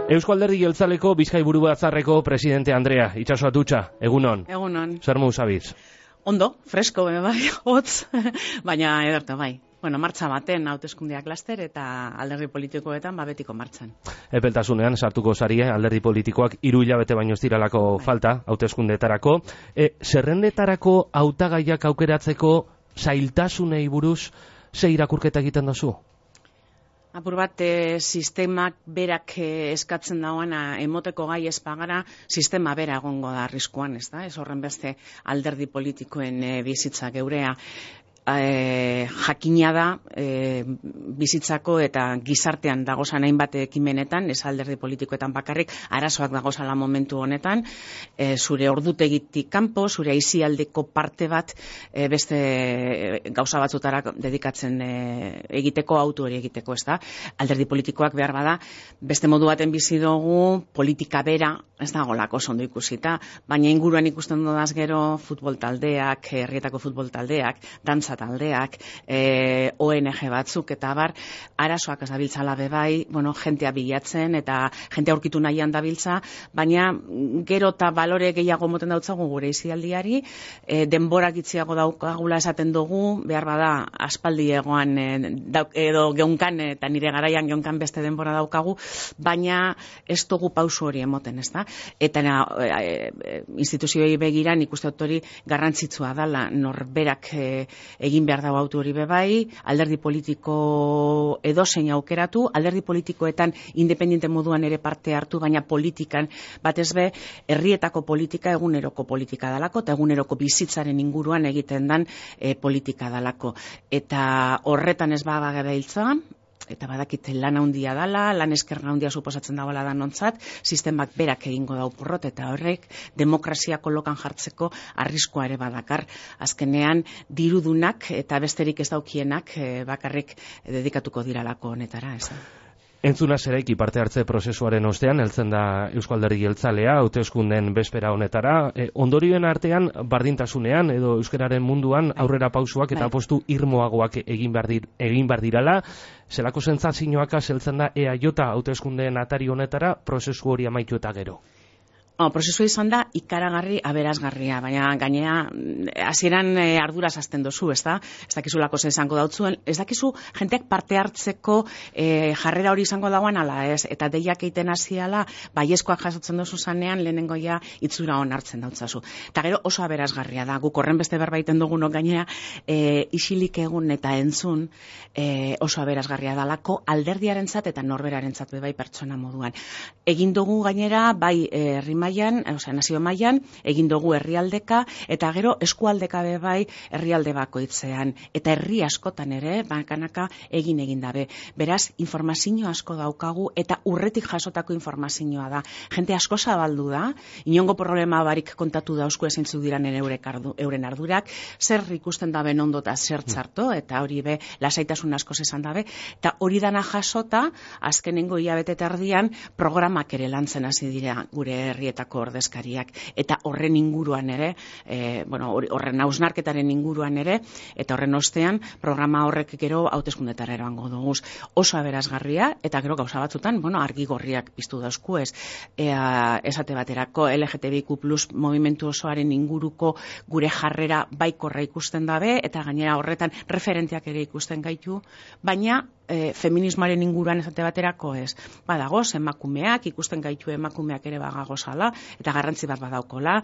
Eusko Alderdi Jeltzaleko Bizkai Buru Batzarreko presidente Andrea, itxaso atutxa, egunon. Egunon. Zer moduz abiz? Ondo, fresko, bai, hotz, baina ederto, bai. Bueno, martxa baten hauteskundeak laster eta alderdi politikoetan betiko martxan. Epeltasunean sartuko zarie alderdi politikoak 3 hilabete baino ez diralako falta hauteskundeetarako. Zerrendetarako hautagaiak aukeratzeko zailtasunei buruz ze irakurketa egiten duzu? Apur bat, sistemak berak eskatzen dauana emoteko gai ez bagara, sistema bera egongo da arriskuan, ez da? Ez horren beste alderdi politikoen bizitza geurea. Jakina da bizitzako eta gizartean dagozan hainbat ekimenetan, ez alderdi politikoetan bakarrik, arazoak dagozala momentu honetan, zure ordutegitik kanpo, zure aisialdeko parte bat beste gauza batzutara dedikatzen egiteko, autu hori egiteko, ez da? Alderdi politikoak behar bada, beste modu baten bizi dugu, politika bera, ez da golako ondo ikusita, baina inguruan ikusten dudaz gero futbol taldeak, herrietako futbol taldeak, dantza taldeak, ONG batzuk eta abar, arazoak ez dabiltzala bebai, bueno, jentea bilatzen eta jentea aurkitu nahian dabiltza, baina gero eta balore gehiago moten dautzagu gure izialdiari, denborak itziago daukagula esaten dugu, behar bada aspaldi egoan edo geunkan, eta nire garaian geunkan beste denbora daukagu, baina ez dugu pausu hori emoten, ez da? Eta instituzioei begira nik uste dut hori garrantzitsua dela, norberak egin behar dago autu hori bebai, alderdi politiko edozein aukeratu, alderdi politikoetan independente moduan ere parte hartu, baina politikan batez be, herrietako politika eguneroko politika dalako, eta eguneroko bizitzaren inguruan egiten dan politika dalako. Eta horretan ez bagabiltza, eta badakit lan handia dala, lan eskerga handia suposatzen dagoela danontzat, sistemak berak egingo dau porrot, eta horrek demokrazia kolokan jartzeko arriskoa ere badakar. Azkenean, dirudunak eta besterik ez daukienak bakarrik dedikatuko diralako honetara, ez da? Entzuna zeraiki parte hartze prozesuaren ostean, heltzen da Eusko Alderdi Jeltzalea, hauteskunden bespera honetara. Ondorioen artean, bardintasunean edo euskararen munduan aurrera pausuak eta apostu irmoagoak egin behar dirala. Zelako sentsazioak heltzen da EAJ hauteskundeen atari honetara prozesu hori amaitu eta gero? Prozesua izan da ikaragarri aberasgarria, baina gainera hasieran arduraz hasten dozu, ez da? Ez dakizulako zer izango dautzuen, ez dakizu jenteak parte hartzeko jarrera hori izango dagoen ala ez, eta deiak egiten hasiala baiezkoak jasotzen dozu zanean lehenengoia itzura on hartzen dautzazu. Eta gero oso aberasgarria da, guk horren beste berbaiten dugunok gainera isilik egun eta entzun oso aberasgarria dalako alderdiarentzat eta norberarentzat bai pertsona moduan. Egin dugu gainera bai nazio mailan, egin dugu herrialdeka, eta gero eskualdeka bai herrialde bakoitzean. Eta herri askotan ere, bakanaka egin dabe. Beraz, informazio asko daukagu, eta urretik jasotako informazioa da. Jente asko zabaldu da, inongo problema barik kontatu dauzku ezeintzu diran euren ardurak, zer ikusten dabe ondo eta zer txarto, eta hori be, lasaitasun asko esan dabe, eta hori dana jasota, azkenengo hilabete erdian, programak ere lantzen hasi dira gure herrietako ordezkariak, eta horren inguruan ere, horren hausnarketaren inguruan ere, eta horren ostean, programa horrek gero hauteskundetara eroango duguz. Oso aberasgarria, eta gero gauza batzutan, argi gorriak piztu dauzku ez, esate baterako LGTBIQ+ movimentu osoaren inguruko gure jarrera baikorra ikusten dabe, eta gainera horretan referenteak ere ikusten gaitu, baina feminismoaren inguruan esate baterako ez. Badagoz, emakumeak, ikusten gaitu emakumeak ere bagagozala, eta garrantzi bat badaukola,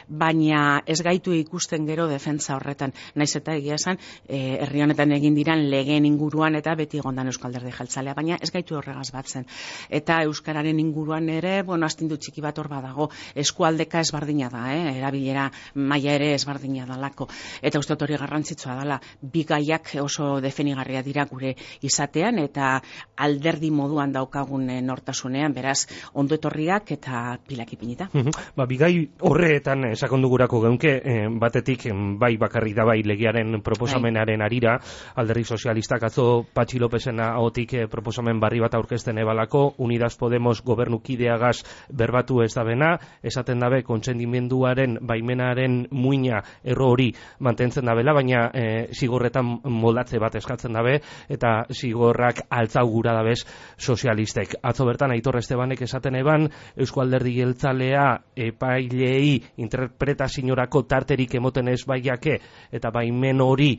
baina ez gaitu ikusten gero defentsa horretan. Naiz eta egia esan, herri honetan egin diran legeen inguruan eta beti egondan Eusko Alderdi Jeltzalea, baina ez gaitu horregaz batzen. Eta euskararen inguruan ere, astindu txiki bat hor badago, eskualdeka ezbardina da, erabilera maila ere ezbardina dalako. Eta uste hori garrantzitsua dela, bi gaiak oso definigarria dira gure izatean, eta alderdi moduan daukagun nortasunean, beraz, ondo etorriak eta pilak ipinita. baita. Bigai horretan sakondugurako geunke, batetik bai bakarrik da bai legearen proposamenaren arira, Alderdi Sozialistak atzo Patxi Lopesen ahotik proposamen barri bat aurkezten ebalako, Unidas Podemos gobernukideagaz berbatu ez da bena, esaten dabe kontsendimenduaren baimenaren muina erro hori mantentzen dabela, baina zigorretan moldatze bat eskatzen dabe, eta zigorrak altzau gura dabez sozialistek. Atzo bertan Aitor Estebanek esaten eban, Eusko Alderdi Jeltzalea epailei interpretaziorako tarterik emoten ez baiake, eta baimen hori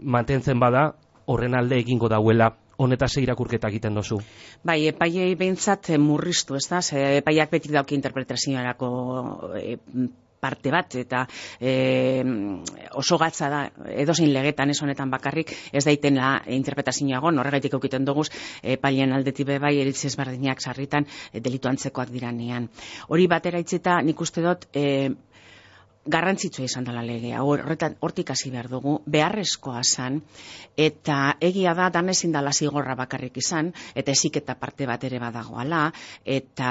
mantentzen bada, horren alde egingo dauela. Honetaz irakurketa egiten dozu. Bai, epaiei behintzat murriztu, ez da? Epaiak betik dauki interpretaziorako parte bat, eta oso gatza da, edozein legetan ez honetan bakarrik, ez daitela interpretazioa gon, horregaitik eukiten duguz, epailen aldetik bai eritzi ezberdinak sarritan delitu antzekoak diranean. Hori batera itzita, nik uste dut, garrantzitsua izan dela legea, hortik hasi behar dugu, beharrezkoa zan, eta egia da, dan ezin dela zigorra bakarrik izan, eta eziketa parte bat ere badagoala, eta,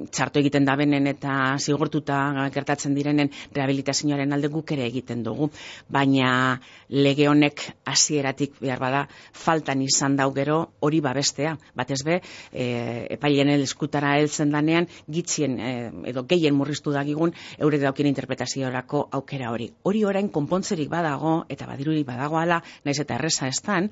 txarto egiten da benen eta zigortuta gertatzen direnen rehabilitazioaren alde guk ere egiten dugu, baina lege honek hasieratik behar bada faltan izan dau gero hori babestea, batez be, epailen eskutara heltzen danean, gitzien edo gehien murriztu da eurek daukien interpretaziorako aukera hori. Hori orain konpontzerik badago, eta badirurik badagoala, naiz eta erreza estan,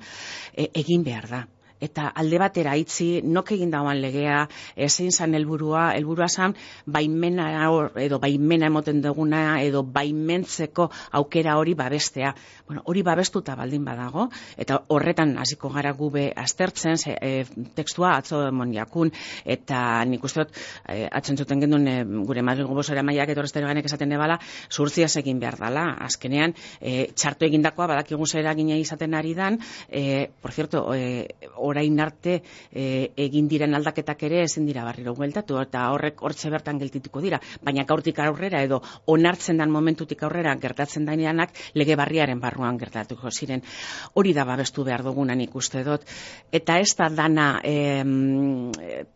egin behar da. Eta alde batera itzi, nok egin dagoan legea, zein zan helburua zan, baimena emoten duguna, edo baimentzeko aukera hori babestea. Hori babestuta baldin badago, eta horretan hasiko gara gube aztertzen, tekstua atzo moniakun, eta nik uste dut, atzen zuten gendun gure Madrilgo bozera maiak etorreztero ganek esaten ebala, zurtziaz egin behar dala. Azkenean, txartu egindakoa badakigu zera gine izaten ari dan, por cierto, orain arte egin diren aldaketak ere ezin dira barriro bueltatu, eta hortze bertan geltituko dira, baina gaurtik aurrera edo onartzen dan momentutik aurrera gertatzen dainanak lege barriaren barruan gertatuko ziren. Hori da babestu behar dugunan ikuste dut, eta ez da dana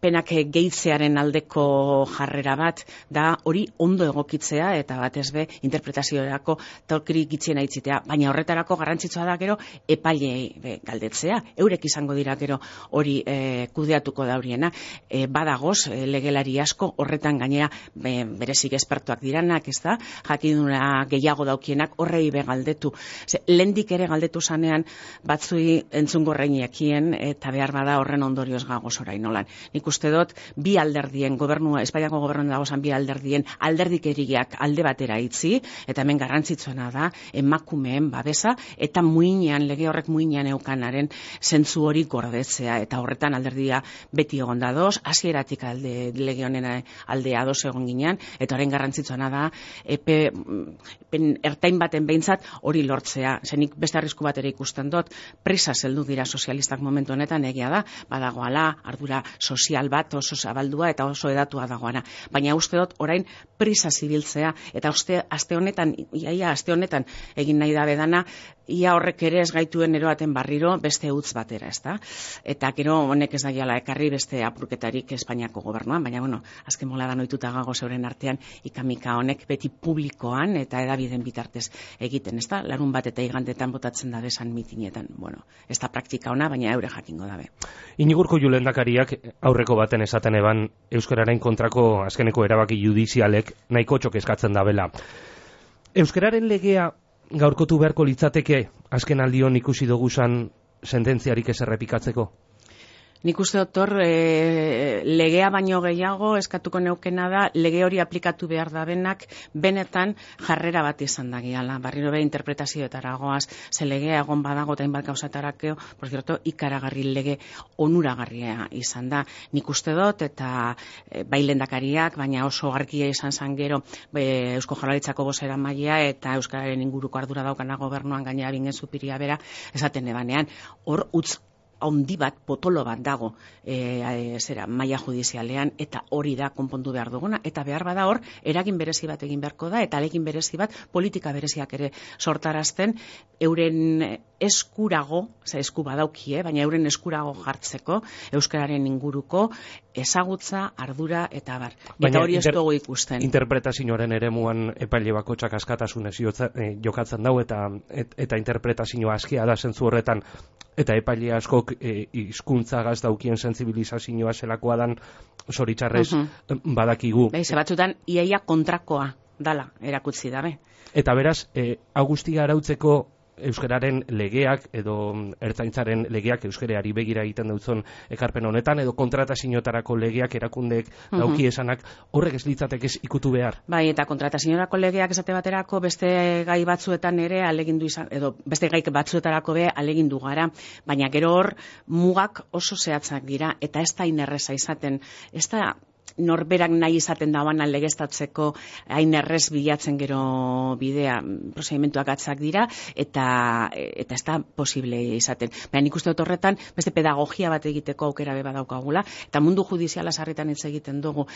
penak gehitzearen aldeko jarrera bat, da hori ondo egokitzea eta batez be interpretaziorako tolkiri gitzien aitzitea, baina horretarako garrantzitsua da gero epailei galdetzea, eurek izango dira gero hori kudeatuko dauriena. Badagoz, legelari asko, horretan gainera berezik espertuak diranak, ez da, jakiduna gehiago daukienak horrei be galdetu. Lendik ere galdetu zanean batzui entzungo reineakien, eta behar bada horren ondorioz gagoz orain nolan. Nik uste dut, bi alderdien, Espainiako gobernua dagozan bi alderdien, alderdikeriak alde batera itzi, eta hemen garrantzitsuena da, emakumeen babesa, eta lege horrek muinean eukanaren zentzu hori gordetzea, eta horretan alderdia beti egon da doz, hasieratik lege honen aldea doz egon ginean, eta horren garrantzitsuena da, ertain baten behintzat hori lortzea. Zenik beste arrisku bat ere ikusten dut, prisa zeldu dira sozialistak momentu honetan, egia da, badagoala, ardura sozial bat oso zabaldua eta oso edatua dagoana. Baina uste dut orain prisa zibiltzea, eta aste honetan egin nahi da bedana, ia horrek ere ez gaituen eroaten barriro beste utz batera, ez da? Eta gero honek ez daiala ekarri beste apurketarik Espainiako gobernuan, baina azken mola da noituta gago zeuren artean ikamika honek beti publikoan eta edabideen bitartez egiten, ez da? Larun bat eta igandetan botatzen da desan mitinetan, ez da praktika ona, baina eure jakingo dabe. Inigurko Lehendakariak aurreko baten esaten eban euskararen kontrako azkeneko erabaki judizialek nahiko txok eskatzen dabela. Euskararen legea gaurkotu beharko litzateke azken aldion ikusi duguzan sententziarik ez errepikatzeko? Nik uste dut legea baino gehiago eskatuko neukena da lege hori aplikatu behar da benetan jarrera bat izan da giala. Barriro be interpretazioetara goaz, ze legea egon badago eta inbat gauzatarako, por cierto, ikaragarri lege onuragarria izan da. Nik uste dut eta bai lehendakariak, baina oso argia izan zan gero Eusko Jaurlaritzako bozera maila eta euskararen inguruko ardura daukana gobernuan gainera bingen zupiria bera, esaten ebanean, hor utz handi bat, potolo bat dago maila judizialean, eta hori da konpondu behar duguna, eta behar bada hor, eragin berezi bat egin beharko da, eta alegin berezi bat politika bereziak ere sortarazten, euren eskurago, esku badaukie, baina euren eskurago jartzeko, euskararen inguruko, ezagutza, ardura, eta bar. Eta hori ez dugu ikusten. Interpretazioaren eremuan epaile bakotxak askatasunez jokatzen dau, eta interpretazioa askia da zentzu horretan, eta epaile askok hizkuntza daukien sentsibilizazioa zelakoa dan, zoritxarrez badakigu. Ze batzutan, iaia kontrakoa dala erakutsi dabe. Eta beraz, Agustia arautzeko euskararen legeak edo ertzaintzaren legeak euskarari begira egiten dutzon ekarpen honetan, edo kontratazioetarako legeak erakundeek dauki esanak, horrek ez litzatek ez ikutu behar. Bai, eta kontratazioetarako legeak esate baterako beste gai batzuetan ere alegindu izan, edo beste gai batzuetarako be alegindu gara, baina gero hor mugak oso zehatzak dira, eta ez da inerreza izaten, ez da norberak nahi izaten dauan legeztatzeko hain errez bilatzen gero bidea, prozedimentuak atzak dira, eta ez da posible izaten. Baina nik uste dut horretan, beste pedagogia bat egiteko aukera beba daukagula, eta mundu judiziala sarritan hitz egiten dugu,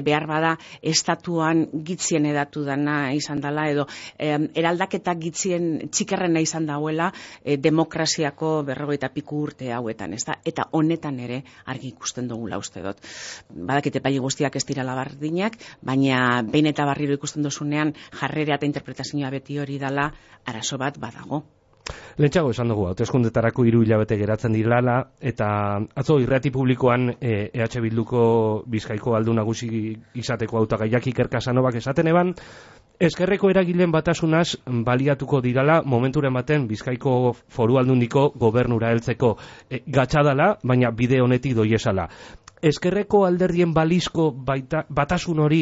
behar bada estatuan gitzien edatu dana izan dela, edo eraldaketa gitzien txikerrena izan dauela demokraziako 50 piku urte hauetan, ez da? Eta honetan ere argi ikusten dugula uste dut. Badakite pai guztiak ez dira labardinak, baina behin eta barriro ikusten dozunean jarrera eta interpretazioa beti hori dala arazo bat badago. Lehentxago esan dugu, hauteskundetarako 3 hilabete geratzen dirala, eta atzo irrati publikoan EH Bilduko Bizkaiko aldun nagusi izateko hautagaiak Iker Casanovak esaten eban, ezkerreko eragileen batasunaz baliatuko dirala momenturen baten Bizkaiko Foru Aldundiko gobernura heltzeko gatxadala, baina bide honetik doiesala. Ezkerreko alderdien balizko batasun hori,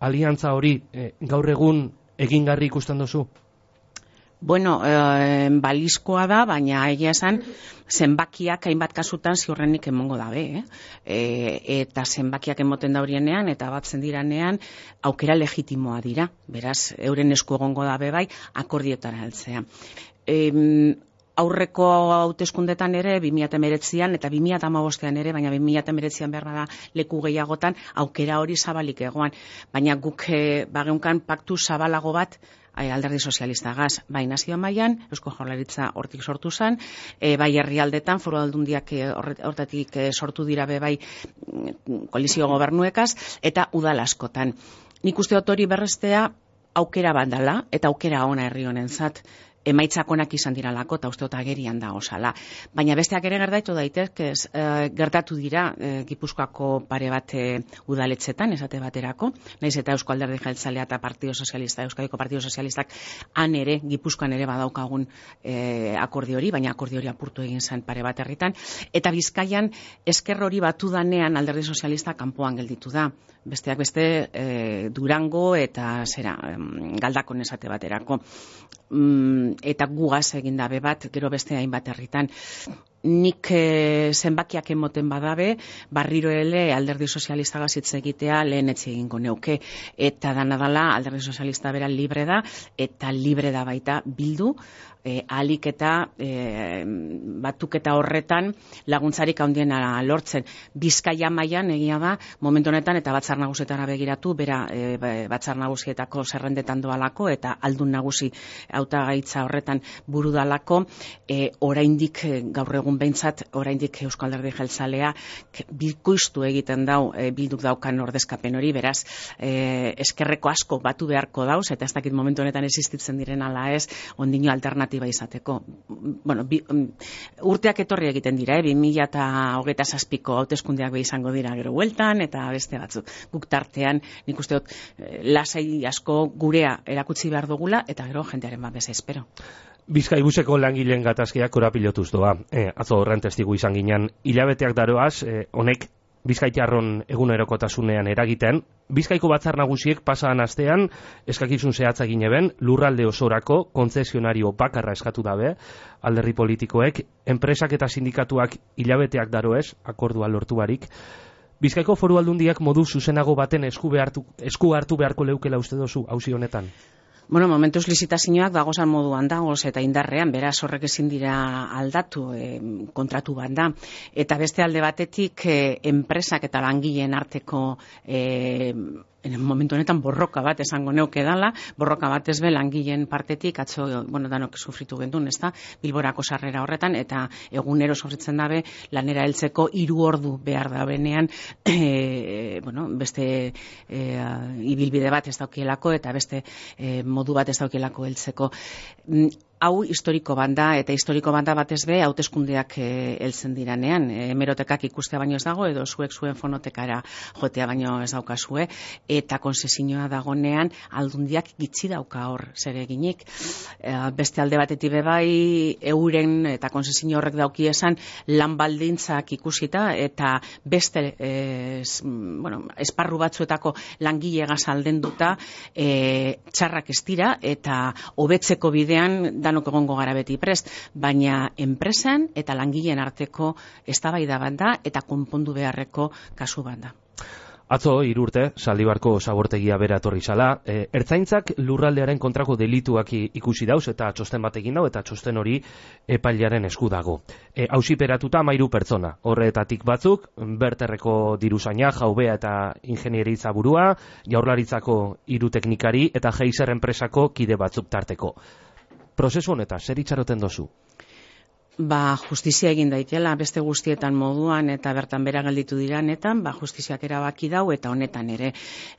aliantza hori, gaur egun egingarri ikusten duzu? Bueno, balizkoa da, baina egia esan zenbakiak hainbat kasutan ziurrenik emongo dabe, eta zenbakiak emoten daurienean eta batzen diranean aukera legitimoa dira, beraz, euren esku egongo dabe bai, akordiotara heltzea. Aurreko hauteskundetan ere, 2019an eta 2015an ere, baina 2019an behar bada leku gehiagotan, aukera hori zabalik egoan. Baina guk bageunkan paktu zabalago bat alderdi sozialistagaz, bai nazio mailan, Eusko Jaurlaritza hortik sortu zen, bai herrialdetan, Foru Aldundiak hortatik sortu dira be bai koalizio gobernuekaz, eta udal askotan. Nik uste dut hori berrestea aukera bat dela, eta aukera ona herri honentzat, emaitzak onak izan diralako, eta uste dut agerian da osala. Baina besteak ere gertatu daitezke, gertatu dira Gipuzkoako pare bat udaletxetan, esate baterako, naiz eta Eusko Alderdi Jeltzalea eta Partido Sozialista, Euskadiko Partido Sozialistak han ere, Gipuzkoan ere badaukagun akordio hori, baina akordio hori apurtu egin zen pare bat herritan, eta Bizkaian esker hori batu danean Alderdi Sozialista kanpoan gelditu da. Besteak beste Durango eta Galdakon esate baterako. Eta gugaz egin dabe bat, gero beste hainbat herritan. Nik zenbakiak emoten badabe, barriro ele Alderdi Sozialista hitz egitea lehen etxe egingo neuke. Eta dala Alderdi Sozialista bera libre da, eta libre da baita Bildu, ahalik eta batuketa horretan laguntzarik handiena lortzen. Bizkaia mailan egia da, momentu honetan eta batzar nagusietara begiratu, bera batzar nagusietako zerrendetan doalako, eta aldun nagusi hautagaitza horretan buru dalako, oraindik gaur egun behintzat, oraindik Eusko Alderdi Jeltzalea bikoiztu egiten dau Bilduk daukan ordezkapen hori, beraz, eskerreko asko batu beharko dauz, eta ez dakit momentu honetan existitzen diren ala ez, ondino alternatiba izateko. Bueno, urteak etorri egiten dira, 2027ko hauteskundeak izango dira gero bueltan, eta beste batzuk. Guk tartean, nik uste dut, lasai asko gurea erakutsi behar dugula, eta gero jendearen babesa espero. Bizkaibuseko langileen gatazkiak korapilotuz doa. Atzo horren testigu izan ginen, hilabeteak daroaz, honek Bizkaitarron egunerokotasunean eragiten, Bizkaiko batzar nagusiek pasadan astean eskakizun zehatza egin eben, lurralde osorako kontzesionario bakarra eskatu dabe, alderdi politikoek, enpresak eta sindikatuak hilabeteak daroez, akordua lortu barik. Bizkaiko Foru Aldundiak modu zuzenago baten esku hartu beharko leukela uste dozu, auzi honetan? Bueno, momentuz lizitazioak dagozan moduan dagoz eta indarrean, beraz horrek ezin dira aldatu kontratu bat da. Eta beste alde batetik enpresak eta langileen arteko momentu honetan borroka bat esango neuke dala, borroka bat ez be langileen partetik, atzo, danok sufritu gendun, ezta, Bilborako sarrera horretan, eta egunero sufritzen dabe, lanera heltzeko 3 ordu behar da benean, beste ibilbide bat ez daukielako, eta beste modu bat ez daukielako heltzeko. Hau historiko banda, eta historiko banda batez be, hauteskundeak heltzen diranean. Hemerotekak ikustea baino ez dago, edo zuek zuen fonotekara jotea baino ez daukazue, eta konzesioa dagonean aldundiak gitxi dauka hor zer eginik. Beste alde batetik bai, euren eta konzesio horrek dauki esan lan baldintzak ikusita, eta beste esparru batzuetako langilegaz aldenduta txarrak ez dira, eta hobetzeko bidean danok egongo gara beti prest, baina enpresan eta langileen arteko eztabaida bat da eta konpondu beharreko kasu bat da. Atzo 3 urte, Zaldibarko zabortegia bera etorri zala, ertzaintzak lurraldearen kontrako delituak ikusi dauz eta txosten bat egin dau, eta txosten hori epailearen esku dago. Auziperatuta 13 pertsona, horretatik batzuk, Berterreko diruzaina, Jaubea eta ingenieritza burua, Jaurlaritzako 3 teknikari eta Geiser enpresako kide batzuk tarteko. Prozesu honetan, zer itxaroten dozu? Justizia egin daitela, beste guztietan moduan eta bertan bera gelditu diranetan, justiziak erabaki dau eta honetan ere.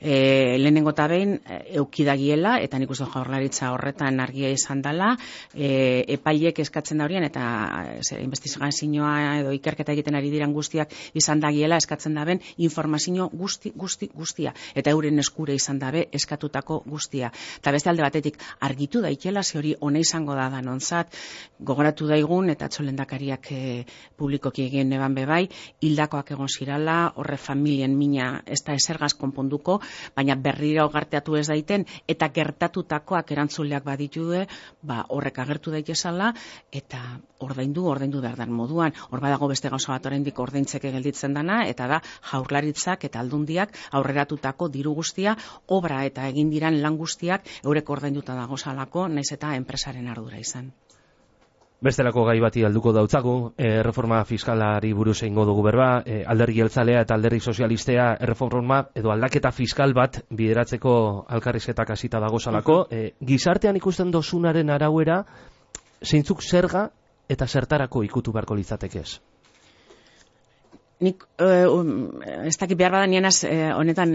Lehenengo eta behin eukidagiela, eta nik uste Jaurlaritza horretan argia izan dela, epaileek eskatzen da horien, eta investigazioa edo ikerketa egiten ari diran guztiak izan dagiela, eskatzen da ben informazio guztia, eta euren eskure izan dabe eskatutako guztia. Eta beste alde batetik argitu daitela, ze hori ona izango da danontzat, gogoratu daigun, eta lehendakariak publikoki egin neban bebai, hildakoak egon zirala, horre familien mina ez da esergaz konponduko, baina berriro garteatu ez daiten, eta gertatutakoak erantzuleak baditue, horrek agertu daitezala, eta ordaindu behar dan moduan. Hor badago beste gauza bat oraindik ordaintzeke gelditzen dana, eta da Jaurlaritzak eta Aldundiak aurreratutako diru guztia, obra eta egin diran lan guztiak eurek ordainduta dagozalako, naiz eta enpresaren ardura izan. Bestelako gai bati alduko dautzagu, reforma fiskalari buruz egingo dugu berba, alderdi jeltzalea eta alderdi sozialistea erreforma edo aldaketa fiskal bat bideratzeko alkarrizketak hasita dagozalako. Gizartean ikusten dozunaren arauera, zeintzuk zerga eta zertarako ikutu beharko litzatekez? Nik ez dakit behar badanienaz honetan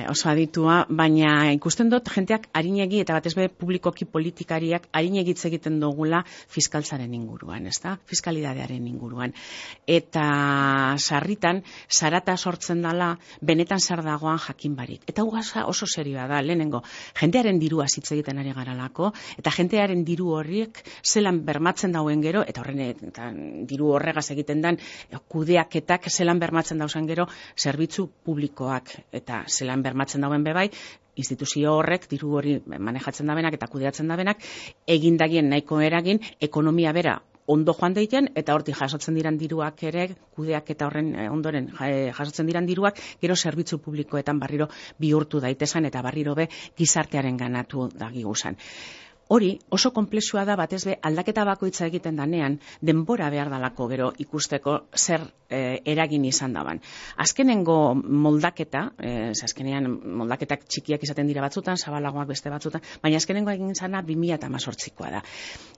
oso aditua, baina ikusten dut jenteak arinegi eta batez be publikoki politikariak arinegitz egiten dugula fiskaltzaren inguruan, ezta? Fiskalidadearen inguruan. Eta sarritan, zarata sortzen dela benetan zer dagoan jakin barik. Eta oso serioa da, lehenengo, jentearen dirua hitz egiten ari garalako, eta jentearen diru horiek zelan bermatzen dauen gero, eta horren diru horregaz egiten dan kudeaketak zelan bermatzen dauzen gero zerbitzu publikoak, eta zelan bermatzen dauen bebai, instituzio horrek, diru hori manejatzen dabenak eta kudeatzen dabenak, egindagien nahiko eragin, ekonomia bera ondo joan daiten, eta hortik jasotzen diran diruak ere, kudeak eta horren ondoren jasotzen diran diruak, gero zerbitzu publikoetan barriro bihurtu daitezen, eta barriro be gizartearen ganatu dagiguzan. Hori oso konplexua da batez be aldaketa bakoitza egiten danean denbora behar dalako gero ikusteko zer eragin izan daban. Azkenengo moldaketa, azkenean moldaketak txikiak izaten dira batzutan, zabalagoak beste batzutan, baina azkenengo egin zana 2018koa da.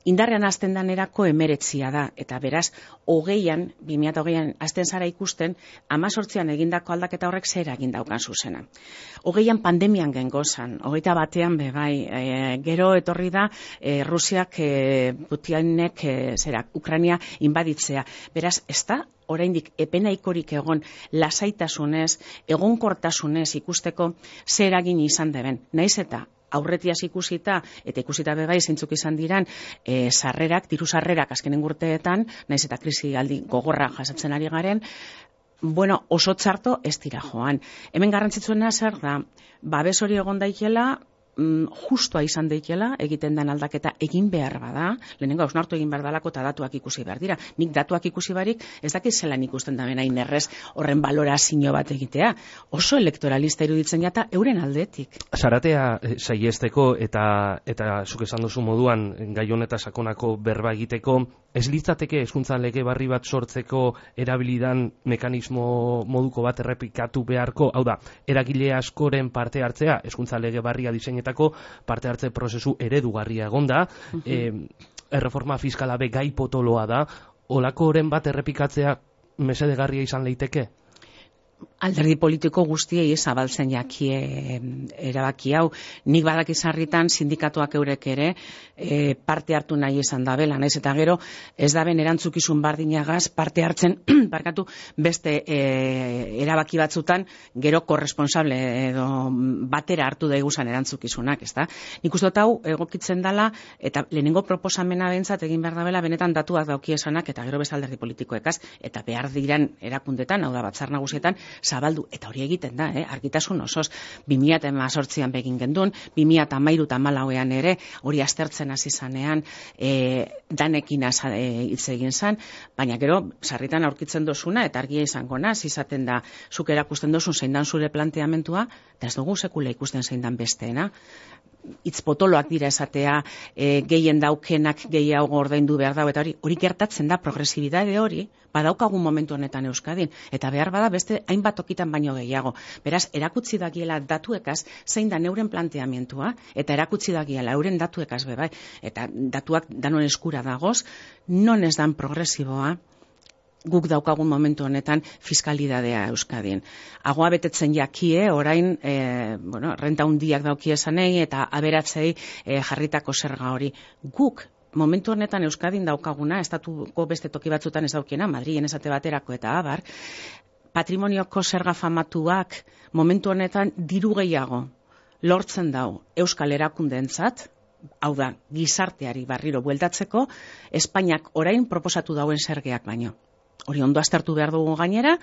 Indarrean hasten danerako 19 da, eta beraz 2020an hasten zara ikusten 18an egindako aldaketa horrek zer egin daukan zuzena. 20an pandemian gengozan, 21an bebai, gero etorri da Rusiak Putinek Ukraina inbaditzea. Beraz, ez da oraindik epenaikorik egon lasaitasunez, egonkortasunez ikusteko zer eragin izan deben. Naiz eta aurretiaz ikusita, eta ikusita bebai zeintzuk izan diran sarrerak, diru sarrerak azkenen urteetan, naiz eta krisi aldi gogorra jasatzen ari garen, oso txarto ez dira joan. Hemen garrantzitsuena zer da, babes hori egon daikela, justua izan daitela, egiten den aldaketa egin behar bada, lehenengo hausnartu egin behar dalako eta datuak ikusi behar dira. Nik datuak ikusi barik, ez dakit zelan ikusten da benain errez horren balorazio bat egitea. Oso elektoralista iruditzen jata euren aldetik. Zaratea saiesteko eta zuk esan duzu moduan gai honetaz sakonako berba egiteko, ez litzateke hezkuntza lege berri bat sortzeko erabilidan mekanismo moduko bat errepikatu beharko, hau da, eragile askoren parte hartzea, hezkuntza lege berria diseinetako parte hartze prozesu eredugarria egonda, erreforma fiskala be gai potoloa da, olako oren bat errepikatzea mesedegarria izan leiteke? Alderdi politiko guztiei zabaltzen jakie erabaki hau. Nik badaki sarritan sindikatuak eurek ere parte hartu nahi izan da bela, naiz eta gero ez da ben erantzukizun bardinagaz parte hartzen barkatu beste erabaki batzutan gero korresponsable edo batera hartu daiguzan erantzukizunak, ezta? Nik uste dut hau egokitzen dala eta lehenengo proposamena behintzat egin behar da bela benetan datuak dauki esanak eta gero beste alderdi politikoekaz eta behar diran erakundetan, hau da Batzar Nagusietan zabaldu, eta hori egiten da, argitasun osoz, 2018an begin gendun, 2013 eta 2014an ere, hori aztertzen hasi zanean, danekin hitz egin zan, baina gero, sarritan aurkitzen dozuna, eta argia izango naz, izaten da, zuk erakusten dozun zein dan zure planteamentua, eta ez dugu sekula ikusten zein dan besteena. Hitz potoloak dira esatea, gehien daukenak gehiago ordaindu behar dago, eta hori gertatzen da, progresibidade hori, badaukagun momentu honetan Euskadin, eta behar bada beste hainbat tokitan baino gehiago. Beraz, erakutsi dagiela datuekaz, zein da neuren planteamentua, eta erakutsi dagiela euren datuekaz bebai, eta datuak danon eskura dagoz, non ez dan progresiboa, guk daukagun momentu honetan fiskalidadea Euskadin. Agoa betetzen jakie, orain, renta hundiak dauki esanei, eta aberatzei jarritako zerga hori. Guk, momentu honetan Euskadin daukaguna, estatuko beste toki batzutan ez daukiena, Madrilen esate baterako eta abar, patrimonioko zerga famatuak momentu honetan diru gehiago lortzen dau Euskal erakundeentzat, hau da, gizarteari barriro bueltatzeko, Espainiak orain proposatu dauen zergeak baino. Hori ondo aztertu behar dugu gainera,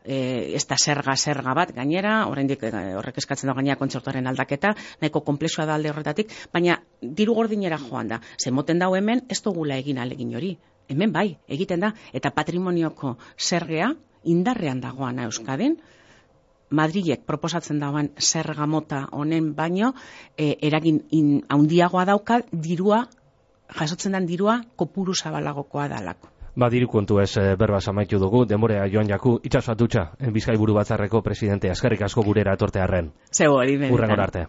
ez da zerga bat gainera, oraindik horrek eskatzen da gainera kontzertuaren aldaketa, nahiko konplexua da alde horretatik, baina diru gordinera joan da. Zemoten dau hemen, ez dugula egin alegin hori. Hemen bai, egiten da, eta patrimonioko zergea indarrean dagoana Euskadin, Madrilek proposatzen dagoen zerga mota honen baino, eragin handiagoa dauka dirua, jasotzen den dirua kopuru zabalagokoa dalako. Diru kontu ez berba amaitu dugu, denborea joan jaku, itxaso atutxa, Bizkaiburu Batzarreko presidente, eskerrik asko gurera etortearren. Zego hori benetan. Hurrengora arte.